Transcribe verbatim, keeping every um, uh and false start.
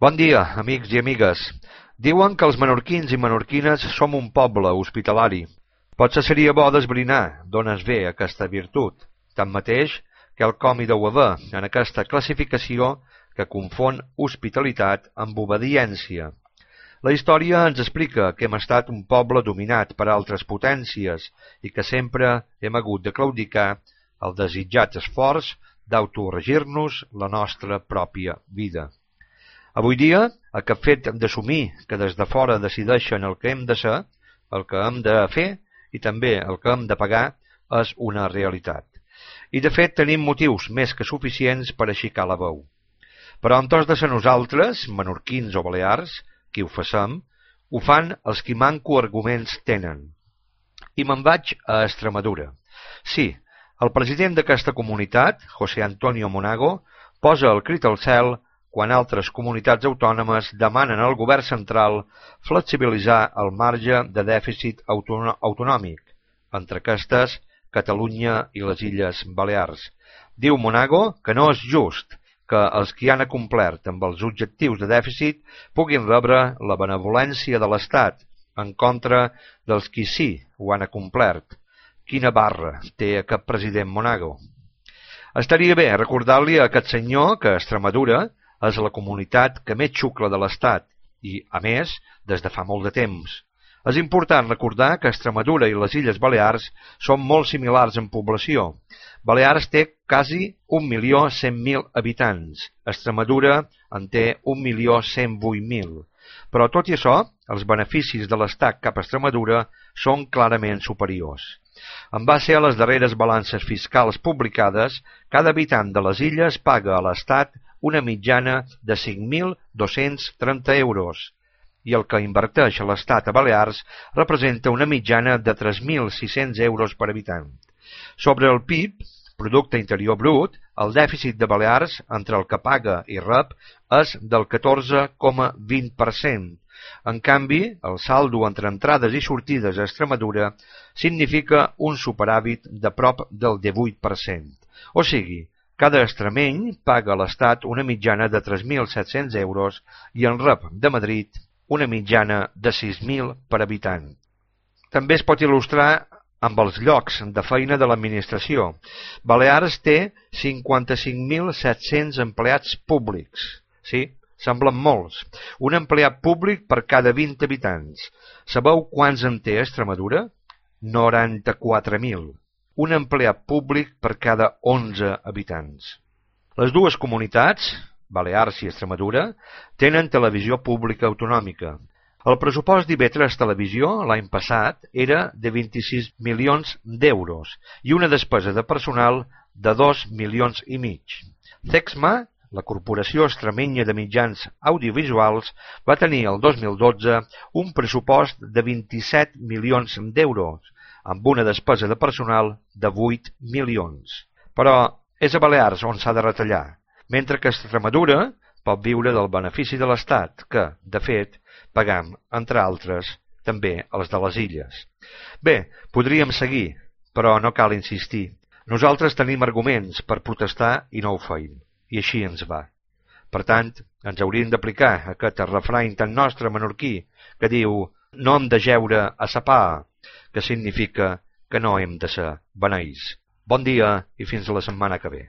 Bon dia, amics i amigues. Diuen que els menorquins i menorquines som un poble hospitalari. Potser seria bo d'esbrinar d'on es ve aquesta virtut. Tanmateix, quelcom hi deu haver en aquesta classificació que confon hospitalitat amb obediència. La història ens explica que hem estat un poble dominat per altres potències i que sempre hem hagut de claudicar el desitjat esforç d'autoregir-nos la nostra pròpia vida. Avui dia, aquest fet d'assumir que des de fora decideixen el que hem de ser, el que hem de fer i també el que hem de pagar, és una realitat. I de fet tenim motius més que suficients per aixecar la veu. Però en tots de ser nosaltres, menorquins o balears, qui ho facem, ho fan els qui manco arguments tenen. I me'n vaig a Extremadura. Sí, el president d'aquesta comunitat, José Antonio Monago, posa el crit al cel quan altres comunitats autònomes demanen al govern central flexibilitzar el marge de dèficit autonòmic, entre aquestes Catalunya i les Illes Balears. Diu Monago que no és just que els qui han acomplert amb els objectius de dèficit puguin rebre la benevolència de l'Estat en contra dels qui sí ho han acomplert. Quina barra té aquest president Monago. Estaria bé recordar-li a aquest senyor que Extremadura és la comunitat que més xucla de l'Estat i, a més, des de fa molt de temps. És important recordar que Extremadura i les Illes Balears són molt similars en població. Balears té quasi un milió cent mil habitants. Extremadura en té un milió cent vuit mil. Però tot i això, els beneficis de l'Estat cap a Extremadura són clarament superiors. En base a les darreres balances fiscals publicades, cada habitant de les illes paga a l'Estat una mitjana de cinc mil dos-cents trenta euros, i el que inverteix a l'Estat a Balears representa una mitjana de tres mil sis-cents euros per habitant. Sobre el P I B, Producte Interior Brut, el dèficit de Balears entre el que paga i rep és del catorze coma vint per cent. En canvi, el saldo entre entrades i sortides a Extremadura significa un superàvit de prop del divuit per cent. O sigui, cada extremeny paga a l'Estat una mitjana de tres mil set-cents euros i en rep de Madrid una mitjana de sis mil per habitant. També es pot il·lustrar amb els llocs de feina de l'administració. Balears té cinquanta-cinc mil set-cents empleats públics. Sí, semblen molts. Un empleat públic per cada vint habitants. Sabeu quants en té Extremadura? noranta-quatre mil. Un empleat públic per cada onze habitants. Les dues comunitats, Balears i Extremadura, tenen televisió pública autonòmica. El pressupost d'I V tres Televisió l'any passat era de vint-i-sis milions d'euros i una despesa de personal de dos milions i mig. Cexma, la Corporació Extremenya de Mitjans Audiovisuals, va tenir el dos mil dotze un pressupost de vint-i-set milions d'euros, amb una despesa de personal de vuit milions. Però és a Balears on s'ha de retallar, mentre que Extremadura pot viure del benefici de l'Estat, que, de fet, pagam, entre altres, també els de les illes. Bé, podríem seguir, però no cal insistir. Nosaltres tenim arguments per protestar i no ho feim, i així ens va. Per tant, ens hauríem d'aplicar aquest refrany tan nostre menorquí que diu «no hem de jeure a sa pa», que significa que no hem de ser beneïts. Bon dia i fins la setmana que ve.